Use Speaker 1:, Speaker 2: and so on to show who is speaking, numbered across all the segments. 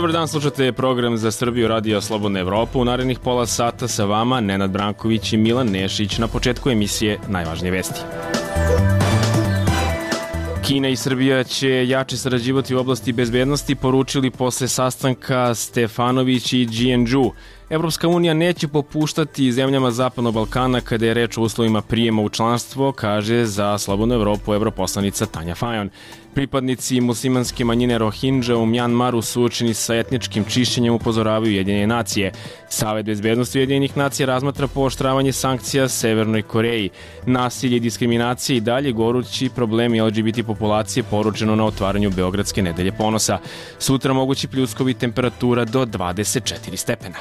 Speaker 1: Dobar dan, slušate program za Srbiju Radio Slobodna Evropa. U narednih pola sata sa vama Nenad Branković i Milan Nešić. Na početku emisije najvažnije vesti. Kina i Srbija će jače sarađivati u oblasti bezbednosti, poručili posle sastanka Stefanović i Jianzhou. Evropska unija neće popuštati zemljama Zapadnog Balkana kada je reč o uslovima prijema u članstvo, kaže za Slobodnu Evropu europoslanica Tanja Fajon. Pripadnici muslimanske manjine Rohingya u Mjanmaru suočeni sa etničkim čišćenjem, upozoravaju Ujedinjene nacije. Savet bezbednosti Ujedinjenih nacija razmatra pooštravanje sankcija Severnoj Koreji. Nasilje i diskriminacije i dalje gorući problemi LGBT populacije, poručeno na otvaranju Beogradske nedelje ponosa. Sutra mogući pljuskovi, temperatura do 24 stepena.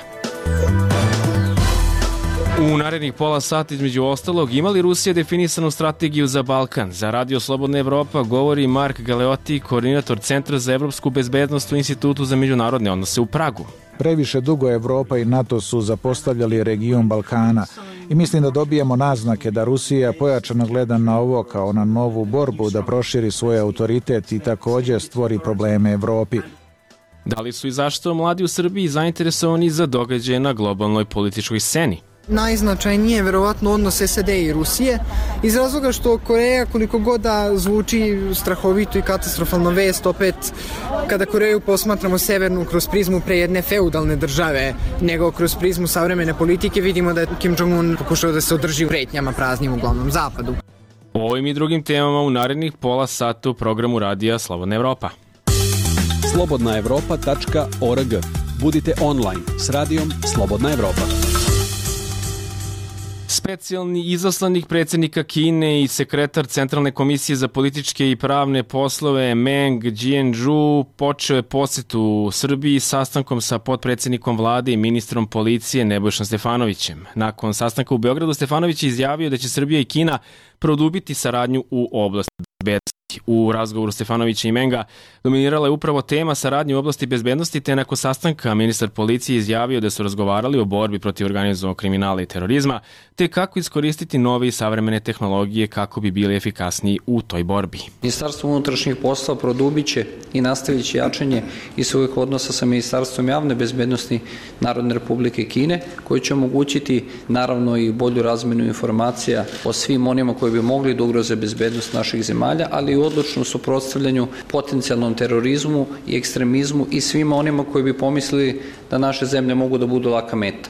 Speaker 1: U narednih pola sata, između ostalog, ima li Rusija definisanu strategiju za Balkan? Za Radio Slobodna Evropa govori Mark Galeotti, koordinator Centra za evropsku bezbednost u Institutu za međunarodne odnose u Pragu.
Speaker 2: Previše dugo Evropa i NATO su zapostavljali region Balkana i mislim da dobijemo naznake da Rusija pojačano gleda na ovo kao na novu borbu da proširi svoj autoritet i također stvori probleme Evropi.
Speaker 1: Da li su i zašto mladi u Srbiji zainteresovani za događaje na globalnoj političkoj sceni?
Speaker 3: Najznačajnije je verovatno odnos SAD i Rusije, iz razloga što Koreja, koliko god da zvuči strahovito i katastrofalno vest, opet kada Koreju posmatramo severnu kroz prizmu pre jedne feudalne države nego kroz prizmu savremene politike, vidimo da je Kim Jong-un pokušao da se održi u pretnjama praznim uglavnom zapadu.
Speaker 1: O ovim i drugim temama u narednih pola sata u programu Radija Slobodna Evropa.
Speaker 4: slobodnaevropa.org. Budite online s radijom Slobodna Evropa.
Speaker 1: Specijalni izaslanik predsjednika Kine i sekretar Centralne komisije za političke i pravne poslove Meng Jianzhou počeo je posjetu Srbiji sastankom sa potpredsjednikom vlade i ministrom policije Nebojšom Stefanovićem. Nakon sastanka u Beogradu, Stefanović je izjavio da će Srbija i Kina produbiti saradnju u oblasti bezbednosti. U razgovoru Stefanovića i Menga dominirala je upravo tema saradnje u oblasti bezbednosti, te nakon sastanka ministar policije izjavio da su razgovarali o borbi protiv organizovanog kriminala i terorizma, te kako iskoristiti nove i savremene tehnologije kako bi bili efikasniji u toj borbi.
Speaker 5: Ministarstvo unutrašnjih poslova produbit će i nastavit će jačanje i svojih odnosa sa Ministarstvom javne bezbednosti Narodne Republike Kine, koji će omogućiti naravno i bolju razmenu informacija o svim onima koji bi mogli da ugroze bezbednost naših zemalja, ali i odlučnom suprotstavljanju potencijalnom terorizmu i ekstremizmu i svima onima koji bi pomislili da naše zemlje mogu da budu laka meta.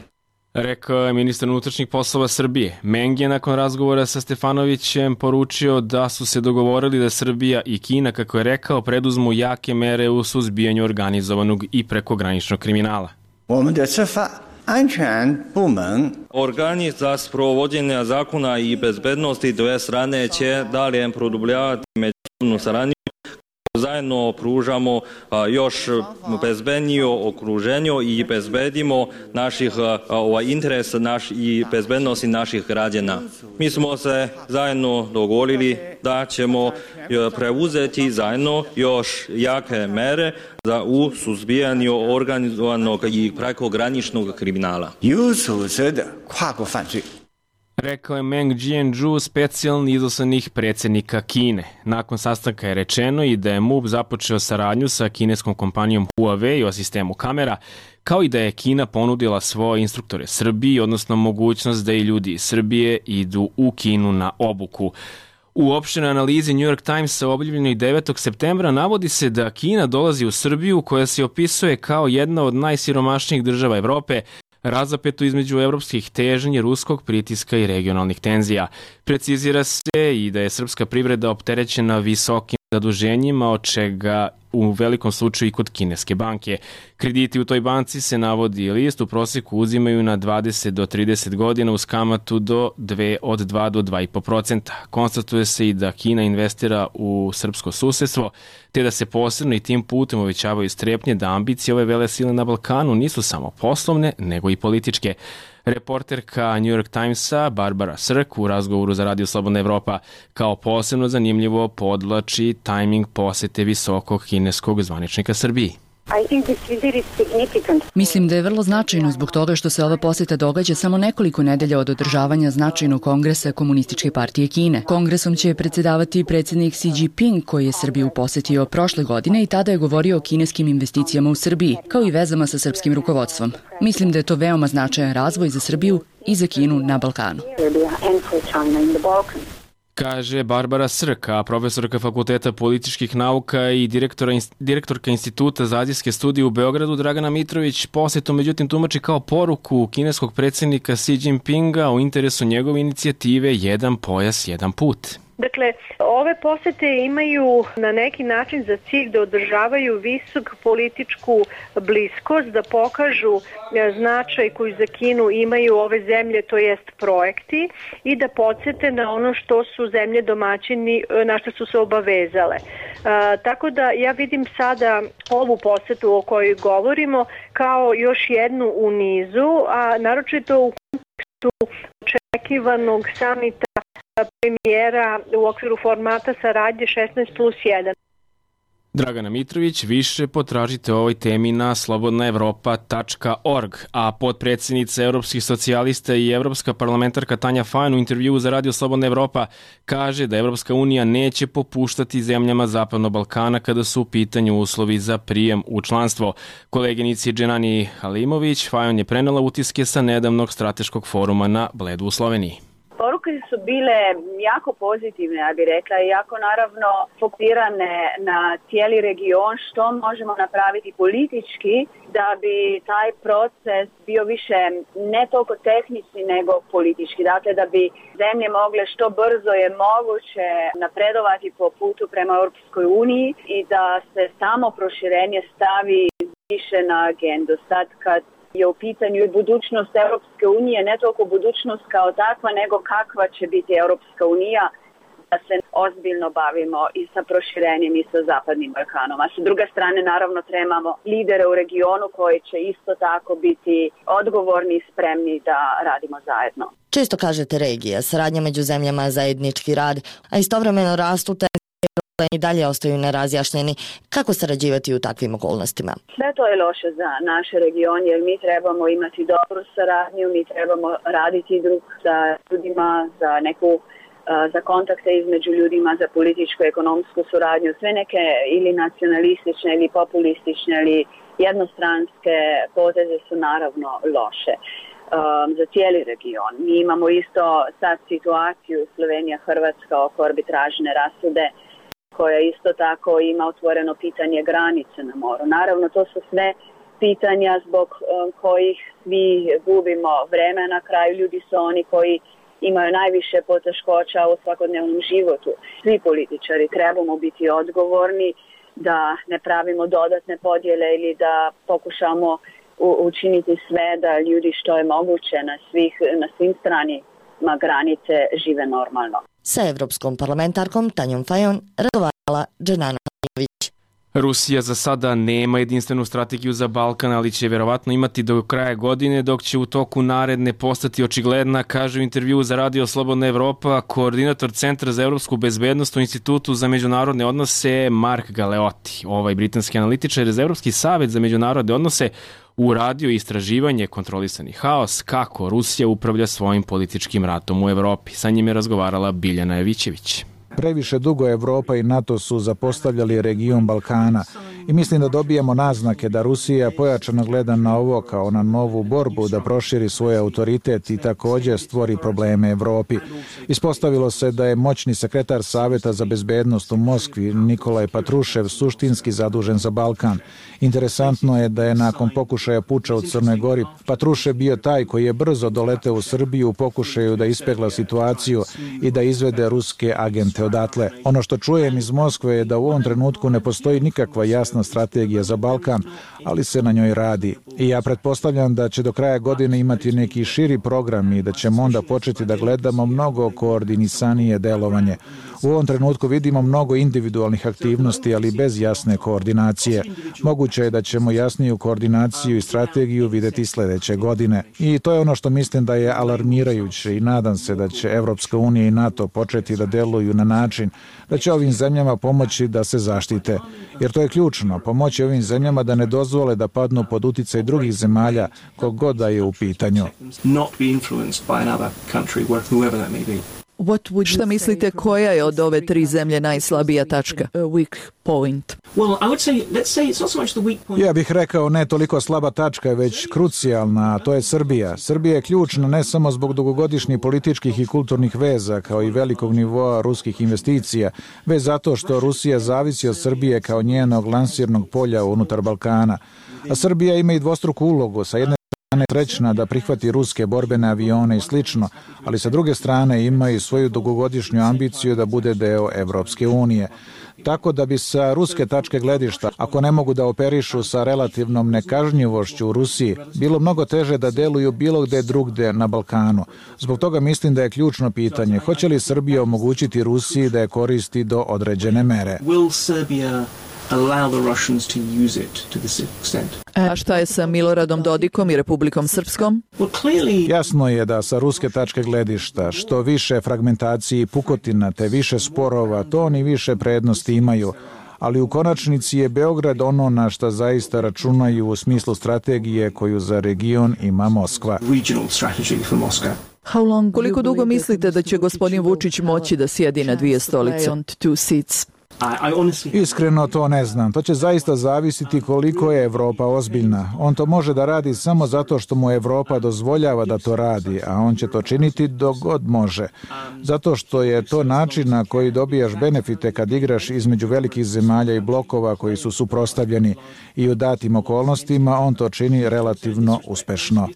Speaker 1: Rekao je ministar unutrašnjih poslova Srbije. Meng je nakon razgovora sa Stefanovićem poručio da su se dogovorili da Srbija i Kina, kako je rekao, preduzmu jake mere u suzbijanju organizovanog i prekograničnog kriminala.
Speaker 6: Organi za sprovođenje zakona i bezbednosti dve strane će dalje produbljavati međusobnu saradnju. Zajedno pružamo još bezbednije okruženje i bezbedimo naših interesa i bezbednosti naših građana. Mi smo se zajedno dogovorili da ćemo preuzeti zajedno još jake mere u suzbijanju organizovanog i prekograničnog kriminala.
Speaker 1: Rekao je Meng Jianzhou, specijalni izaslanik predsjednika Kine. Nakon sastanka je rečeno i da je MUP započeo saradnju sa kineskom kompanijom Huawei o sistemu kamera, kao i da je Kina ponudila svoje instruktore Srbiji, odnosno mogućnost da i ljudi iz Srbije idu u Kinu na obuku. U opštenoj analizi New York Timesa objavljenoj 9. septembra navodi se da Kina dolazi u Srbiju, koja se opisuje kao jedna od najsiromašnijih država Evrope, razapetu između evropskih težnji, ruskog pritiska i regionalnih tenzija. Precizira se i da je srpska privreda opterećena visokim zaduženjima, od čega u velikom slučaju i kod kineske banke. Krediti u toj banci, se navodi list, u prosjeku uzimaju na 20 do 30 godina uz kamatu od 2 do 2,5%. Konstatuje se i da Kina investira u srpsko susedstvo, te da se posebno i tim putem uvećavaju strepnje da ambicije ove velesile na Balkanu nisu samo poslovne, nego i političke. Reporterka New York Timesa Barbara Srk u razgovoru za Radio Slobodna Evropa kao posebno zanimljivo podlači tajming posete visokog kineskog zvaničnika Srbiji.
Speaker 7: Mislim da je vrlo značajno zbog toga što se ova poseta događa samo nekoliko nedelja od održavanja značajnog kongresa Komunističke partije Kine. Kongresom će predsjedavati predsjednik Xi Jinping, koji je Srbiju posetio prošle godine i tada je govorio o kineskim investicijama u Srbiji, kao i vezama sa srpskim rukovodstvom. Mislim da je to veoma značajan razvoj za Srbiju i za Kinu na Balkanu.
Speaker 1: Kaže Barbara Srka, profesorka Fakulteta političkih nauka i direktorka Instituta za azijske studije u Beogradu. Dragana Mitrović posetu međutim tumači kao poruku kineskog predsjednika Xi Jinpinga o interesu njegove inicijative Jedan pojas, jedan put.
Speaker 8: Dakle, ove posete imaju na neki način za cilj da održavaju visok političku bliskost, da pokažu značaj koji za Kinu imaju ove zemlje, to jest projekti, i da podsjete na ono što su zemlje domaćini, na što su se obavezale. Tako da ja vidim sada ovu posetu o kojoj govorimo kao još jednu u nizu, a naročito u kontekstu očekivanog samita premijera u okviru formata saradnje 16+1.
Speaker 1: Dragana Mitrović, više potražite o ovoj temi na slobodnaevropa.org, a potpredsjednica Evropskih socijalista i evropska parlamentarka Tanja Fajon u intervjuu za Radio Slobodna Evropa kaže da Evropska unija neće popuštati zemljama Zapadnog Balkana kada su u pitanju uslovi za prijem u članstvo. Koleginici Dženani Halimović Fajon je prenela utiske sa nedavnog strateškog foruma na Bledu u Sloveniji.
Speaker 9: Poruke su bile jako pozitivne, ja bih rekla, i jako naravno fokusirane na cijeli region, što možemo napraviti politički da bi taj proces bio više ne toliko tehnički nego politički. Dakle, da bi zemlje mogle što brzo je moguće napredovati po putu prema Europskoj uniji i da se samo proširenje stavi više na agendu. Sad kad je u pitanju budućnost Europske unije, ne toliko budućnost kao takva, nego kakva će biti Europska unija, da se ozbiljno bavimo i sa proširenjem i sa Zapadnim Balkanom. A sa druge strane, naravno, trebamo lidere u regionu koji će isto tako biti odgovorni i spremni da radimo zajedno.
Speaker 10: Često kažete regija, saradnja među zemljama, zajednički rad, a istovremeno rastu te i dalje ostaju nerazjašnjeni. Kako sarađivati u takvim okolnostima?
Speaker 9: Sve to je loše za naš region, jer mi trebamo imati dobru saradnju, mi trebamo raditi drug sa ljudima, za kontakte između ljudima, za političku i ekonomsku suradnju. Sve neke ili nacionalistične ili populistične ili jednostranske poteze su naravno loše za cijeli region. Mi imamo isto sad situaciju Slovenija-Hrvatska oko arbitražne rasude, koja isto tako ima otvoreno pitanje granice na moru. Naravno, to su sve pitanja zbog kojih svi gubimo vreme. Na kraju ljudi su oni koji imaju najviše poteškoća u svakodnevnom životu. Svi političari trebamo biti odgovorni da ne pravimo dodatne podjele ili da pokušamo učiniti sve da ljudi što je moguće na svim stranima granice žive normalno.
Speaker 10: Sa evropskom parlamentarkom Tanjom Fajon razgovarala Dženana Halimović.
Speaker 1: Rusija za sada nema jedinstvenu strategiju za Balkan, ali će vjerovatno imati do kraja godine, dok će u toku naredne postati očigledna, kaže u intervjuu za Radio Slobodna Evropa koordinator Centra za evropsku bezbednost u Institutu za međunarodne odnose Mark Galeotti. Ovaj britanski analitičar za Evropski savet za međunarodne odnose uradio istraživanje Kontrolisani haos, kako Rusija upravlja svojim političkim ratom u Evropi. Sa njim je razgovarala Biljana Jevićević.
Speaker 2: Previše dugo Evropa i NATO su zapostavljali region Balkana i mislim da dobijemo naznake da Rusija pojačano gleda na ovo kao na novu borbu da proširi svoj autoritet i također stvori probleme Evropi. Ispostavilo se da je moćni sekretar Saveta za bezbednost u Moskvi Nikolaj Patrušev suštinski zadužen za Balkan. Interesantno je da je nakon pokušaja puča u Crnoj Gori Patrušev bio taj koji je brzo doleteo u Srbiju u pokušaju da ispegla situaciju i da izvede ruske agente odatle. Ono što čujem iz Moskve je da u ovom trenutku ne postoji nikakva jasna strategija za Balkan, ali se na njoj radi. I ja pretpostavljam da će do kraja godine imati neki širi program i da ćemo onda početi da gledamo mnogo koordinisanije delovanje. U ovom trenutku vidimo mnogo individualnih aktivnosti, ali bez jasne koordinacije. Moguće je da ćemo jasniju koordinaciju i strategiju videti sledeće godine. I to je ono što mislim da je alarmirajuće i nadam se da će Evropska unija i NATO početi da deluju na način da će ovim zemljama pomoći da se zaštite. Jer to je ključno, pomoći ovim zemljama da ne dozvole da padnu pod uticaj drugih zemalja kogod da je u pitanju.
Speaker 11: Šta mislite, koja je od ove tri zemlje najslabija tačka? Weak point.
Speaker 2: Ja bih rekao ne toliko slaba tačka, već krucijalna, a to je Srbija. Srbija je ključna ne samo zbog dugogodišnjih političkih i kulturnih veza, kao i velikog nivoa ruskih investicija, već zato što Rusija zavisi od Srbije kao njenog lansirnog polja unutar Balkana. A Srbija ima i dvostruku ulogu, sa jedne strane srećna da prihvati ruske borbene avione i slično, ali sa druge strane ima i svoju dugogodišnju ambiciju da bude deo Evropske unije. Tako da bi sa ruske tačke gledišta, ako ne mogu da operišu sa relativnom nekažnjivošću u Rusiji, bilo mnogo teže da deluju bilo gde drugde na Balkanu. Zbog toga mislim da je ključno pitanje, hoće li Srbija omogućiti Rusiji da je koristi do određene mere?
Speaker 11: A šta je sa Miloradom Dodikom i Republikom Srpskom?
Speaker 2: Jasno je da sa ruske tačke gledišta što više fragmentacije i pukotina te više sporova, to oni više prednosti imaju, ali u konačnici je Beograd ono na šta zaista računaju u smislu strategije koju za region ima Moskva.
Speaker 11: Koliko dugo mislite da će gospodin Vučić moći da sjedi na dvije stolice?
Speaker 2: Iskreno to ne znam. To će zaista zavisiti koliko je Evropa ozbiljna. On to može da radi samo zato što mu Evropa dozvoljava da to radi, a on će to činiti dok god može. Zato što je to način na koji dobijaš benefite kad igraš između velikih zemalja i blokova koji su suprotstavljeni i u datim okolnostima on to čini relativno uspešno.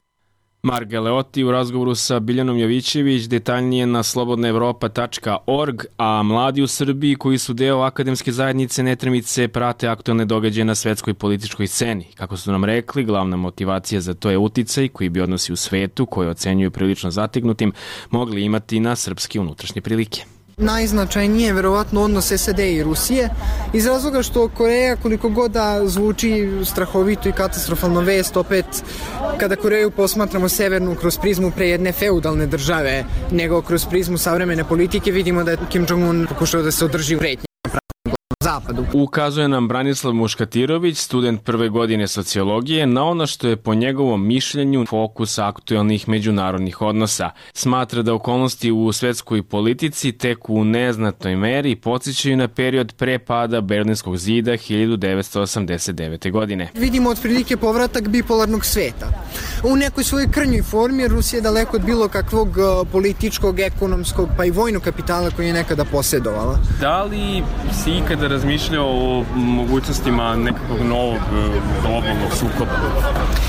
Speaker 1: Mark Galeotti u razgovoru sa Biljanom Jovićević, detaljnije na slobodnaevropa.org, a mladi u Srbiji koji su deo akademske zajednice Netremice prate aktualne događaje na svetskoj političkoj sceni. Kako su nam rekli, glavna motivacija za to je uticaj koji bi odnosi u svetu, koje ocenjuju prilično zategnutim, mogli imati na srpske unutrašnje prilike.
Speaker 3: Najznačajnije je verovatno odnos SAD i Rusije, iz razloga što Koreja, koliko god da zvuči strahovito i katastrofalno vest, opet kada Koreju posmatramo severnu kroz prizmu pre jedne feudalne države nego kroz prizmu savremene politike, vidimo da je Kim Jong-un pokušao da se održi u pretnje zapadu.
Speaker 1: Ukazuje nam Branislav Muškatirović, student prve godine sociologije, na ono što je po njegovom mišljenju fokus aktuelnih međunarodnih odnosa. Smatra da okolnosti u svetskoj politici tek u neznatnoj meri podsjećaju na period pre pada Berlinskog zida 1989. godine.
Speaker 3: Vidimo otprilike povratak bipolarnog sveta. U nekoj svojoj krnjoj formi Rusija je daleko od bilo kakvog političkog, ekonomskog pa i vojnog kapitala koji je nekada posjedovala.
Speaker 1: Da li si ikada razmišljao o mogućnostima nekakvog novog globalnog sukoba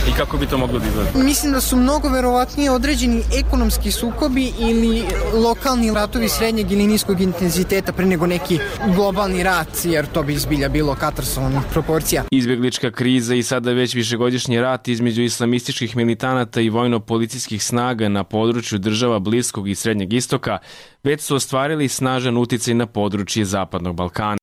Speaker 1: i kako bi to moglo da izgleda?
Speaker 3: Mislim da su mnogo verovatnije određeni ekonomski sukobi ili lokalni ratovi srednjeg ili niskog intenziteta pre nego neki globalni rat, jer to bi izbilja bilo katastrofalnih proporcija.
Speaker 1: Izbjeglička kriza i sada već višegodišnji rat između islamističkih militanata i vojno-policijskih snaga na području država Bliskog i Srednjeg istoka već su ostvarili snažan uticaj na područje Zapadnog Balkana.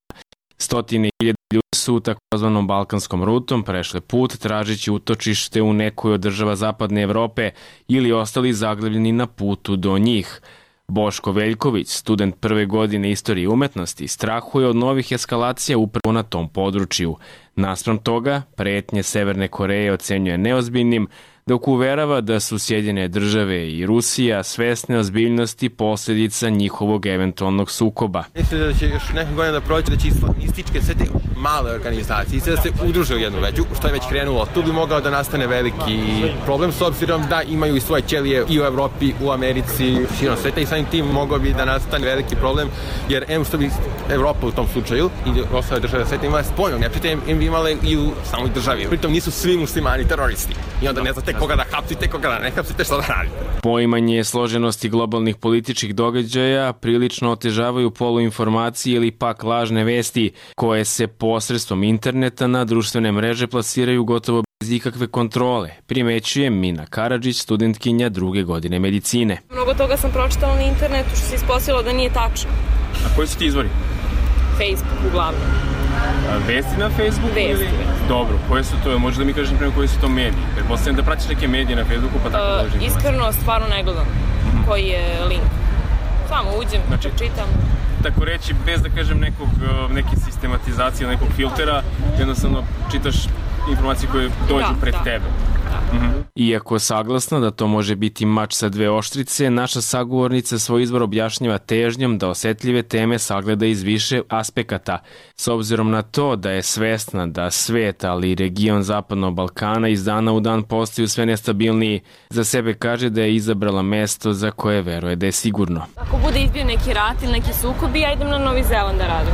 Speaker 1: Stotine hiljada ljudi su takozvanom balkanskom rutom prešle put tražeći utočište u nekoj od država Zapadne Evrope ili ostali zaglavljeni na putu do njih. Boško Veljković, student prve godine istorije i umetnosti, strahuje od novih eskalacija upravo na tom području. Naspram toga, pretnje Severne Koreje ocenjuje neozbiljnim, dok uverava da su Sjedinjene države i Rusija svesne ozbiljnosti posljedica njihovog eventualnog sukoba.
Speaker 12: Mislim da će još neke godine da proći da će islamističke sve te male organizacije da se udruže u jednu veću, što je već krenulo. Tu bi mogao da nastane veliki problem s obzirom da imaju i svoje ćelije i u Evropi, u Americi, širom sveta i samim tim mogao bi da nastane veliki problem, jer što bi Evropa u tom slučaju i ostale države sveta imale spoljnog neprijatelja, im bi imale i u samoj državi. Pritom nisu svi muslimani teroristi i onda ne znate koga da hapsite, koga da ne hapsite, šta da radite.
Speaker 1: Poimanje složenosti globalnih političkih događaja prilično otežavaju poluinformacije ili pak lažne vesti koje se posredstvom interneta na društvene mreže plasiraju gotovo bez ikakve kontrole, primećuje Mina Karadžić, studentkinja druge godine medicine.
Speaker 13: Mnogo toga sam pročitala na internetu što se ispostavilo da nije tačno.
Speaker 1: A koji su ti izvori?
Speaker 13: Facebook uglavnom.
Speaker 1: Vesti na Facebooku?
Speaker 13: Vesti.
Speaker 1: Ili? Dobro, koje su to? Možeš da mi kažeš prema koji su to mediji? Pretpostavljam da pratiš neke medije na Facebooku pa tako dođe informacije.
Speaker 13: Iskreno, stvarno ne gledam koji je link. Samo uđem, znači, čitam.
Speaker 1: Tako reći, bez da kažem neke sistematizacije, nekog filtera, jednostavno čitaš informacije koje dođu pred tebe. Iako saglasno da to može biti mač sa dve oštrice, naša sagovornica svoj izbor objašnjava težnjom da osetljive teme sagleda iz više aspekata. S obzirom na to da je svesna da svet, ali i region Zapadnog Balkana iz dana u dan postaju sve nestabilniji, za sebe kaže da je izabrala mesto za koje veruje da je sigurno.
Speaker 13: Ako bude izbio neki rat ili neki sukob, ja idem na Novi Zeland da radim.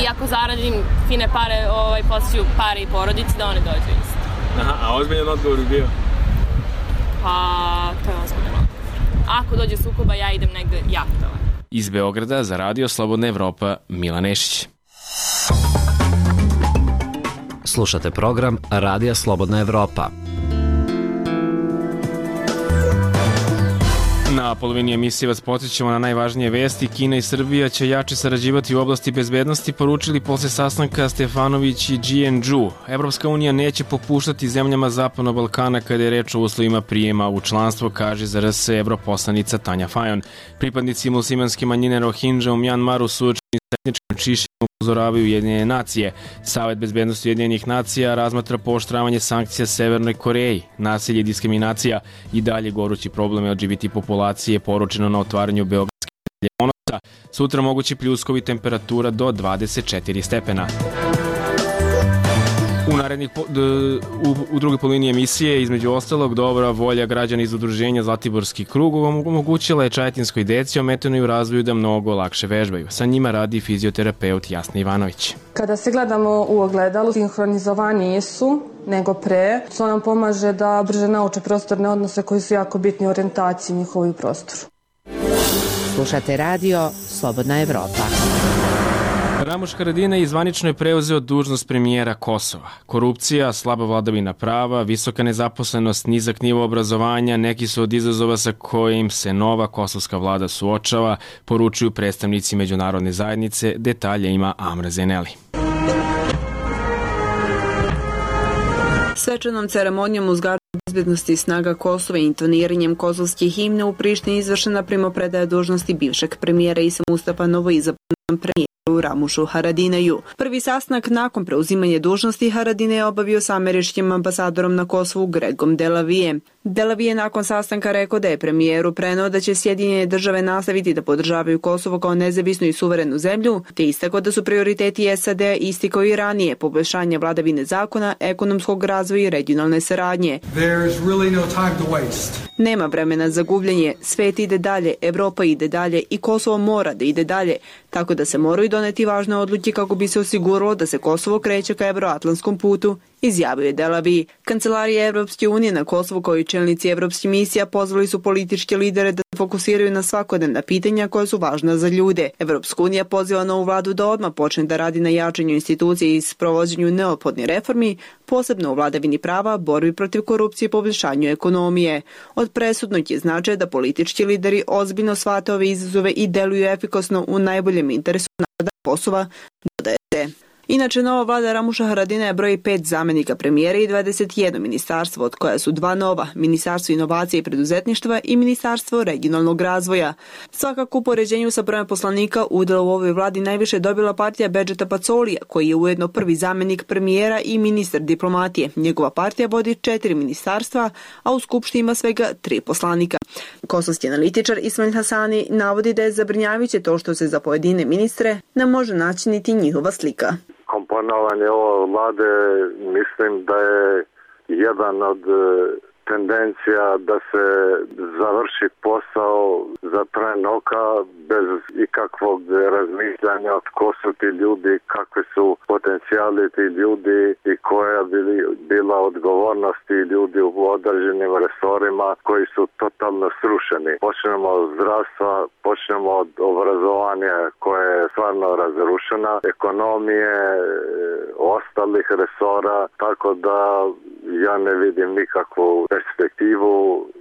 Speaker 13: I ako zaradim fine pare, posjeću pare i porodici da one dođu isto.
Speaker 1: Aha, a ozbiljan odgovor bi bio?
Speaker 13: Pa, to je ozbiljan odgovor. Ako dođe sukoba, ja idem negde jahtova.
Speaker 1: Iz Beograda za Radio Slobodna Evropa, Milan Nešić.
Speaker 14: Slušate program Radija Slobodna Evropa.
Speaker 1: Na polovini emisije vas podsjećamo na najvažnije vesti. Kina i Srbija će jače sarađivati u oblasti bezbednosti, poručili posle sastanka Stefanović i Jianzhou. Evropska unija neće popuštati zemljama Zapadnog Balkana kada je reč o uslovima prijema u članstvo, kaže za RS evroposlanica Tanja Fajon. Pripadnici muslimanske manjine Rohingya u Mjanmaru suočeni s etničkim čišćenjem upozoravaju Ujedinjene nacije. Savet bezbednosti Ujedinjenih nacija razmatra pooštravanje sankcija Severnoj Koreji. Nasilje i diskriminacija i dalje gorući problem LGBT populacije, poručeno na otvaranju Beogradske nedelje ponosa. Sutra mogući pljuskovi, temperatura do 24 stepena. U drugoj polovini emisije, između ostalog, dobra volja građana iz udruženja Zlatiborski krug omogućila je čajetinskoj deci ometenoj u razvoju da mnogo lakše vežbaju. Sa njima radi fizioterapeut Jasna Ivanović.
Speaker 15: Kada se gledamo u ogledalu, sinhronizovaniji su nego pre. To nam pomaže da brže nauče prostorne odnose koji su jako bitni u orijentaciji njihovoj prostoru.
Speaker 16: Slušate radio Slobodna Evropa.
Speaker 1: Ramuš Haradinaj zvanično je preuzeo dužnost premijera Kosova. Korupcija, slaba vladavina prava, visoka nezaposlenost, nizak nivo obrazovanja, neki su od izazova sa kojim se nova kosovska vlada suočava, poručuju predstavnici međunarodne zajednice. Detalje ima Amra Zeneli.
Speaker 17: Svečanom ceremonijom uzgađanja bezbednosti snaga Kosova i intoniranjem kosovske himne u Prištini izvršena primopredaja dužnosti bivšeg premijera Isa Mustafa novoizabranom premijeru Ramušu Haradinaju. Prvi sastanak nakon preuzimanja dužnosti Haradinaj je obavio sa američkim ambasadorom na Kosovu Gregom Delavije. Delavije nakon sastanka rekao da je premijeru preneo da će Sjedinjene države nastaviti da podržavaju Kosovo kao nezavisnu i suverenu zemlju, te istakao da su prioriteti SAD isti kao i ranije, poboljšanje vladavine zakona, ekonomskog razvoja i regionalne saradnje. Nema vremena za gubljenje, svet ide dalje, Evropa ide dalje i Kosovo mora da ide dalje, tako da se moraju doneti važne odluke kako bi se osiguralo da se Kosovo kreće ka evroatlantskom putu, izjavio je Delavi. Kancelarija Evropske unije na Kosovu kao i čelnici evropskih misija pozvali su političke lidere da se fokusiraju na svakodnevna pitanja koja su važna za ljude. Evropska unija poziva novu vladu da odmah počne da radi na jačanju institucije i sprovođenju neophodnih reformi, posebno u vladavini prava, borbi protiv korupcije i poboljšanju ekonomije. Od presudnog je značaja da politički lideri ozbiljno shvate ove izazove i deluju efikasno u najboljem interesu naroda Kosova, dodaje se. Inače, nova vlada Ramuša Haradinaja broji 5 zamenika premijera i 21 ministarstvo, od koja su 2 nova, Ministarstvo inovacije i preduzetništva i Ministarstvo regionalnog razvoja. Svakako u poređenju sa brojem poslanika udjel u ovoj vladi najviše dobila partija Bedžeta Pacolija, koji je ujedno prvi zamenik premijera i ministar diplomatije. Njegova partija vodi 4 ministarstva, a u skupštini ima svega 3 poslanika. Kosovski analitičar Ismail Hasani navodi da je zabrinjavajuće to što se za pojedine ministre ne može naći niti njihova slika.
Speaker 18: Komponovanje ove vlade mislim da je jedan od tendencija da se završi posao za tren oka bez ikakvog razmišljanja od ko su ti ljudi, kakvi su potencijali ti ljudi i koja bila odgovornost ti ljudi u određenim resorima koji su totalno srušeni. Počnemo od zdravstva, počnemo od obrazovanja koje je stvarno razrušena, ekonomije, ostalih resora, tako da ja ne vidim nikakvu perspektivu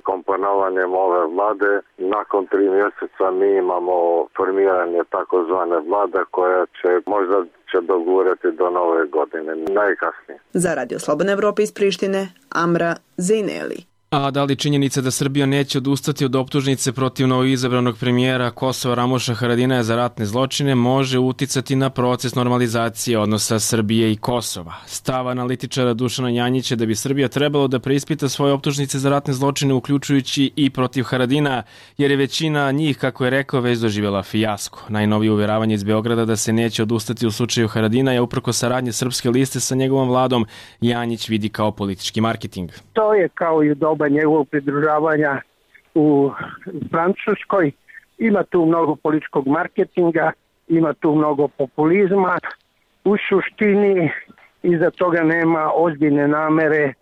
Speaker 18: komponovanjem ove vlade. Nakon 3 mjeseca mi imamo formiranje takozvane vlade koja možda će dogurati do nove godine, najkasnije.
Speaker 17: Za Radio Slobodna Evropa iz Prištine, Amra Zejneli.
Speaker 1: A da li činjenica da Srbija neće odustati od optužnice protiv novoizabranog premijera Kosova Ramuša Haradinaja za ratne zločine može uticati na proces normalizacije odnosa Srbije i Kosova? Stav analitičara Dušana Janjića da bi Srbija trebalo da preispita svoje optužnice za ratne zločine uključujući i protiv Haradina, jer je većina njih, kako je rekao, već doživjela fijasko. Najnovije uveravanje iz Beograda da se neće odustati u slučaju Haradinaja uprko saradnje Srpske liste sa njegovom vladom Janjić vidi kao politički marketing.
Speaker 19: To je kao i u doba njegovog pridružavanja u Francuskoj. Ima tu mnogo političkog marketinga, ima tu mnogo populizma. U suštini iza toga nema ozbiljne namere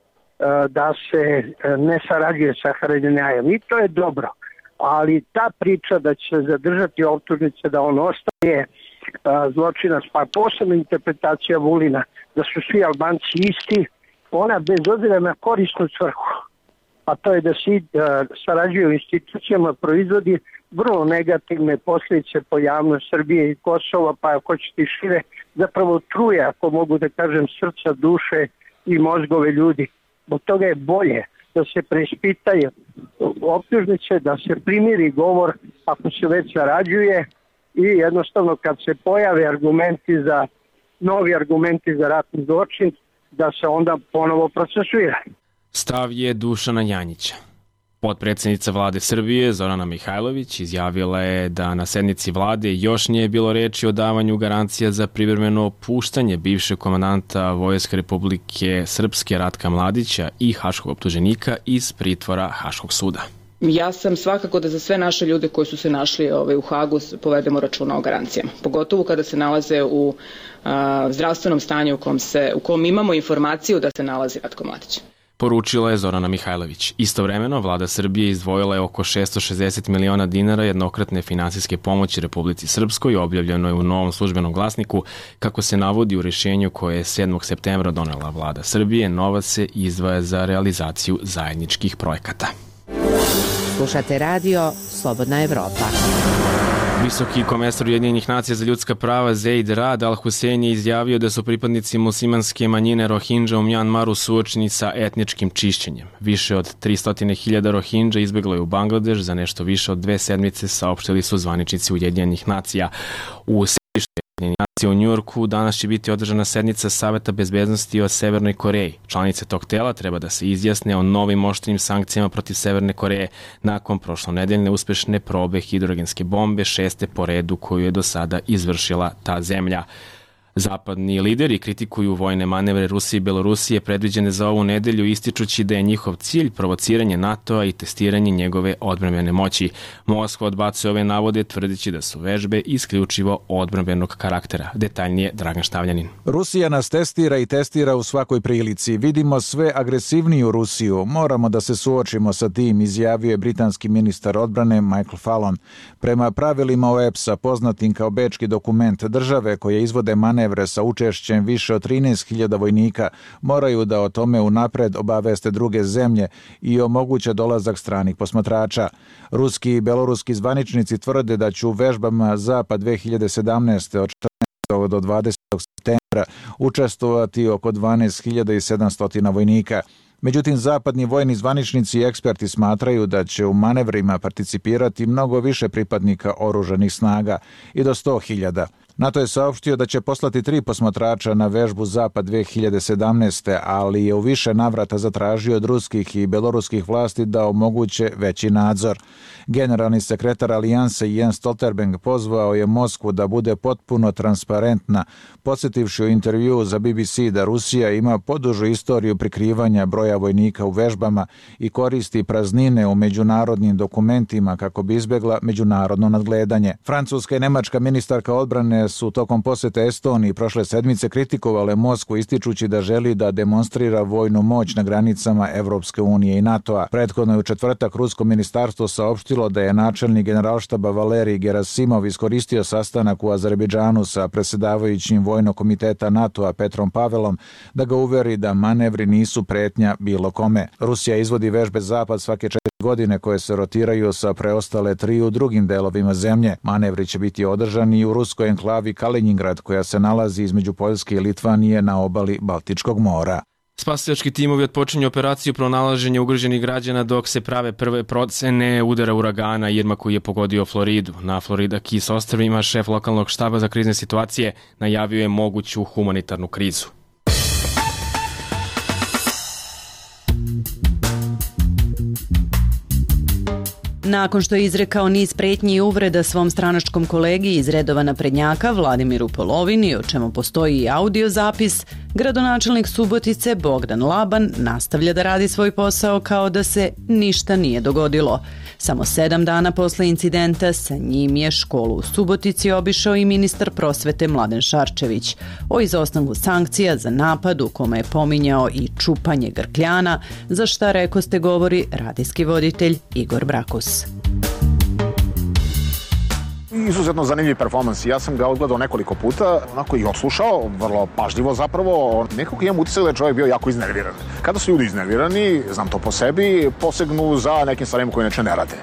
Speaker 19: da se ne sarađuje sa Haradinajem. I to je dobro. Ali ta priča da će zadržati optužnice da on ostaje zločinac, pa posebna interpretacija Vulina da su svi Albanci isti, ona bez obzira na korisnu svrhu, a to je da se sarađuje u institucijama, proizvodi vrlo negativne posljedice po javnost Srbije i Kosova, pa ako ćete i šire, zapravo truje, ako mogu da kažem, srca, duše i mozgove ljudi. Od toga je bolje da se preispitaju optužnice, da se primiri govor ako se već sarađuje i jednostavno kad se pojave novi argumenti za ratni zločin, da se onda ponovo procesuira.
Speaker 1: Stav je Dušana Janjića. Potpredsjednica vlade Srbije Zorana Mihajlović izjavila je da na sednici vlade još nije bilo reči o davanju garancija za privremeno puštanje bivšeg komandanta Vojske Republike Srpske Ratka Mladića i haškog optuženika iz pritvora Haškog suda.
Speaker 20: Ja sam svakako da za sve naše ljude koji su se našli u Hagu povedemo računa o garancijama. Pogotovo kada se nalaze u zdravstvenom stanju u kom imamo informaciju da se nalazi Ratko Mladić.
Speaker 1: Poručila je Zorana Mihajlović. Istovremeno, vlada Srbije izdvojila je oko 660 miliona dinara jednokratne finansijske pomoći Republici Srpskoj, objavljeno je u Novom službenom glasniku. Kako se navodi u rješenju koje je 7. septembra donela vlada Srbije, novac se izdvaja za realizaciju zajedničkih projekata.
Speaker 16: Slušate radio Slobodna Evropa.
Speaker 1: Visoki komesar Ujedinjenih nacija za ljudska prava Zeid Rad Al-Hussein je izjavio da su pripadnici muslimanske manjine Rohingya u Mjanmaru suočeni sa etničkim čišćenjem. Više od 300.000 Rohingya izbjeglo je u Bangladeš za nešto više od 2 sedmice, saopštili su zvaničnici Ujedinjenih nacija. U u Njujorku danas će biti održana sednica Saveta bezbednosti o Severnoj Koreji. Članice tog tela treba da se izjasne o novim oštrim sankcijama protiv Severne Koreje nakon prošlonedeljne uspešne probe hidrogenske bombe, 6. po redu koju je do sada izvršila ta zemlja. Zapadni lideri kritikuju vojne manevre Rusije i Belorusije predviđene za ovu nedelju, ističući da je njihov cilj provociranje NATO-a i testiranje njegove odbrambene moći. Moskva odbacuje ove navode, tvrdeći da su vežbe isključivo odbrambenog karaktera. Detaljnije Dragan Štavljanin.
Speaker 2: Rusija nas testira i testira u svakoj prilici. Vidimo sve agresivniju Rusiju. Moramo da se suočimo sa tim, izjavio je britanski ministar odbrane Michael Fallon. Prema pravilima OEPS-a, poznatim kao bečki dokument, države koje izvode manevre sa učešćem više od 13.000 vojnika moraju da o tome unapred obaveste druge zemlje i omoguće dolazak stranih posmatrača. Ruski i beloruski zvaničnici tvrde da će u vežbama Zapad 2017. od 14. do 20. septembra učestvovati oko 12.700 vojnika. Međutim, zapadni vojni zvaničnici i eksperti smatraju da će u manevrima participirati mnogo više pripadnika oružanih snaga i do 100.000. NATO je saopštio da će poslati 3 posmatrača na vežbu Zapad 2017. ali je u više navrata zatražio od ruskih i beloruskih vlasti da omoguće veći nadzor. Generalni sekretar Alijanse Jens Stoltenberg pozvao je Moskvu da bude potpuno transparentna, podsjetivši u intervjuu za BBC da Rusija ima podužu istoriju prikrivanja broja vojnika u vežbama i koristi praznine u međunarodnim dokumentima kako bi izbjegla međunarodno nadgledanje. Francuska i nemačka ministarka odbrane zemlje su tokom posete Estoniji prošle sedmice kritikovale Moskvu ističući da želi da demonstrira vojnu moć na granicama Evropske unije i NATO-a. Prethodno je u četvrtak rusko ministarstvo saopštilo da je načelnik generalštaba Valerij Gerasimov iskoristio sastanak u Azerbejdžanu sa predsjedavajućim vojnog komiteta NATO-a Petrom Pavelom da ga uveri da manevri nisu pretnja bilo kome. Rusija izvodi vežbe Zapad svake 4 godine koje se rotiraju sa preostale 3 u drugim delovima zemlje. Manevri će biti održani i u ruskoj enklavi Kaliningrad koja se nalazi između Poljske i Litvanije na obali Baltičkog mora.
Speaker 1: Spasilački timovi otpočinju operaciju pronalaženja ugroženih građana dok se prave prve procene udara uragana Irma koji je pogodio Floridu. Na Florida Keys ostrvima šef lokalnog štaba za krizne situacije najavio je moguću humanitarnu krizu.
Speaker 21: Nakon što je izrekao niz pretnji i uvreda svom stranačkom kolegi iz redova naprednjaka Vladimiru Polovini, o čemu postoji i audio zapis, gradonačelnik Subotice Bogdan Laban nastavlja da radi svoj posao kao da se ništa nije dogodilo. Samo 7 dana posle incidenta sa njim je školu u Subotici obišao i ministar prosvete Mladen Šarčević. O izostanku sankcija za napad u kome je pominjao i čupanje grkljana, za šta rekoste govori radijski voditelj Igor Brakus.
Speaker 22: Izuzetno zanimljiv performans. Ja sam ga odgledao nekoliko puta, onako i odslušao, vrlo pažljivo zapravo. Nekako imam utisak da je čovjek bio jako iznerviran. Kada su ljudi iznervirani, znam to po sebi, posegnu za nekim stvarima koje inače ne rade.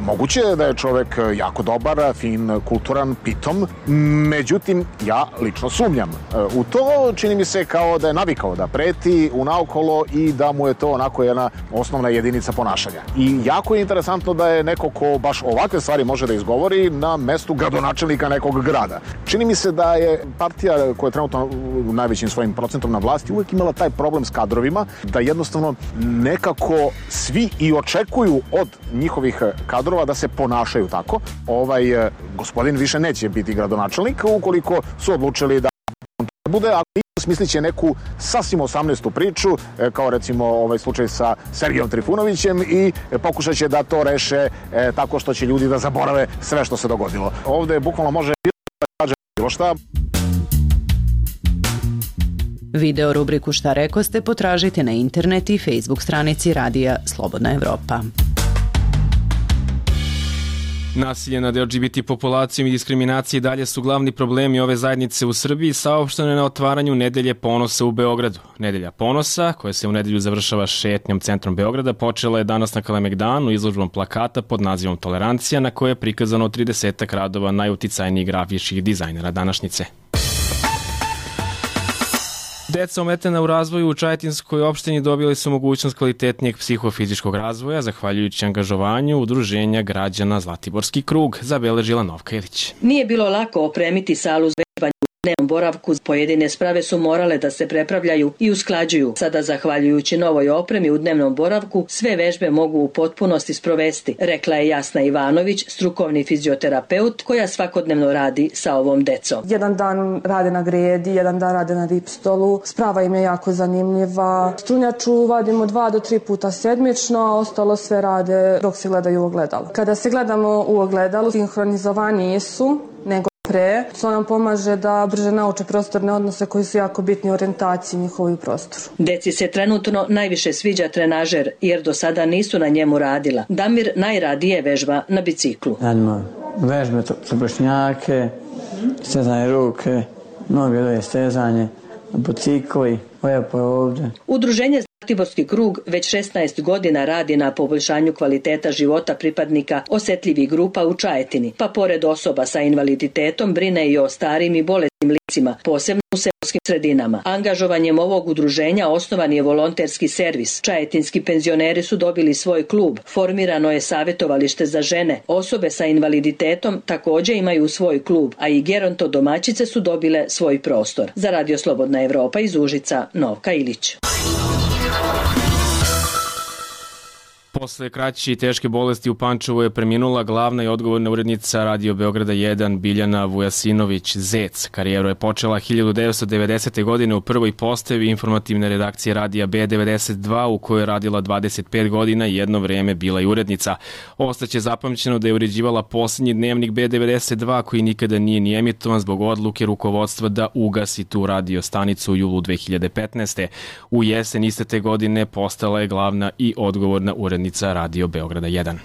Speaker 22: Moguće je da je čovjek jako dobar, fin, kulturan, pitom, međutim, ja lično sumnjam. U to čini mi se kao da je navikao da preti unaokolo i da mu je to onako jedna osnovna jedinica ponašanja. I jako je interesantno da je neko ko baš ovakve stvari može da izgovori na mestu gradonačelnika nekog grada. Čini mi se da je partija koja je trenutno najvećim svojim procentom na vlasti uvijek imala taj problem s kadrovima, da jednostavno nekako svi i očekuju od njihovih kadrova da se ponašaju tako. Gospodin više neće biti gradonačelnik ukoliko su odlučili da bude, ali smislit će neku sasvim 18. priču, kao recimo ovaj slučaj sa Sergijom Trifunovićem i pokušat će da to reše tako što će ljudi da zaborave sve što se dogodilo. Ovde bukvalno može bilo šta.
Speaker 21: Video rubriku Šta rekoste potražite na internet i Facebook stranici Radija Slobodna Evropa.
Speaker 1: Nasilje nad LGBT populacijom i diskriminacije dalje su glavni problemi ove zajednice u Srbiji, saopšteno je na otvaranju Nedelje ponosa u Beogradu. Nedelja ponosa, koja se u nedelju završava šetnjom centrom Beograda, počela je danas na Kalemegdanu izložbom plakata pod nazivom Tolerancija, na kojoj je prikazano 30 radova najuticajnijih grafičkih dizajnera današnjice. Deca ometena u razvoju u Čajetinskoj opštini dobili su mogućnost kvalitetnijeg psihofizičkog razvoja zahvaljujući angažovanju Udruženja građana Zlatiborski krug, zabeležila Novka Ilić.
Speaker 23: Nije bilo lako opremiti salu za vežbanje u dnevnom boravku. Pojedine sprave su morale da se prepravljaju i usklađuju. Sada, zahvaljujući novoj opremi u dnevnom boravku, sve vežbe mogu u potpunosti sprovesti, rekla je Jasna Ivanović, strukovni fizioterapeut koja svakodnevno radi sa ovom decom.
Speaker 15: Jedan dan rade na gredi, jedan dan rade na ripstolu. Sprava im je jako zanimljiva. Strunjaču vadimo 2 do 3 puta sedmično, a ostalo sve rade dok se gledaju u ogledalo. Kada se gledamo u ogledalu, sinhronizovaniji su nego pre. To nam pomaže da brže nauče prostorne odnose koji su jako bitni u orijentaciji njihovoj prostoru.
Speaker 23: Deci se trenutno najviše sviđa trenažer jer do sada nisu na njemu radila. Damir najradije vežba na biciklu.
Speaker 24: Radimo vežbe za bršnjake, stezanje ruke, noge stezanje, bicikli, lepo je ovde.
Speaker 23: Udruženje Zlatiborski krug već 16 godina radi na poboljšanju kvaliteta života pripadnika osetljivih grupa u Čajetini, pa pored osoba sa invaliditetom brine i o starim i bolesnim licima, posebno u seoskim sredinama. Angažovanjem ovog udruženja osnovan je volonterski servis. Čajetinski penzioneri su dobili svoj klub, formirano je savjetovalište za žene. Osobe sa invaliditetom također imaju svoj klub, a i geronto domaćice su dobile svoj prostor. Za Radio Slobodna Evropa iz Užica, Novka Ilić.
Speaker 1: Posle kraće i teške bolesti u Pančevu je preminula glavna i odgovorna urednica Radio Beograda 1 Biljana Vujasinović Zec. Karijeru je počela 1990. godine u prvoj postavi informativne redakcije radija B92 u kojoj je radila 25 godina i jedno vreme bila i urednica. Ostaće zapamćeno da je uređivala posljednji dnevnik B92 koji nikada nije ni emitovan zbog odluke rukovodstva da ugasi tu radio stanicu u julu 2015. U jesen iste te godine postala je glavna i odgovorna urednica Radio Beograda 1.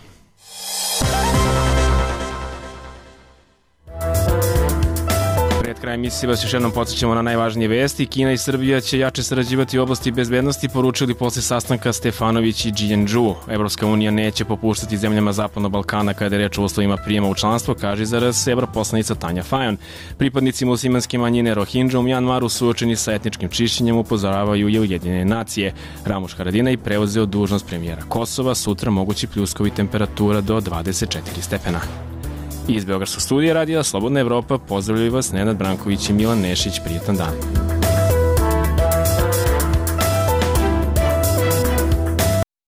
Speaker 1: Pred krajem emisije vas još jednom podsjećamo na najvažnije vesti. Kina i Srbija će jače sarađivati u oblasti bezbednosti, poručili posle sastanka Stefanović i Jianzhou. Evropska unija neće popuštati zemljama Zapadnog Balkana kada je reč o uslovima prijema u članstvo, kaže za RS evroposlanica Tanja Fajon. Pripadnici muslimanske manjine Rohingya u Mjanmaru suočeni sa etničkim čišćenjem upozoravaju i Ujedinjene nacije. Ramuš Haradinaj preuzeo dužnost premijera Kosova, sutra mogući pljuskovi temperatura do 24 stepena. Iz Beogradskog studija radija Slobodna Evropa pozdravljaju vas Nenad Branković i Milan Nešić. Prijetan dan.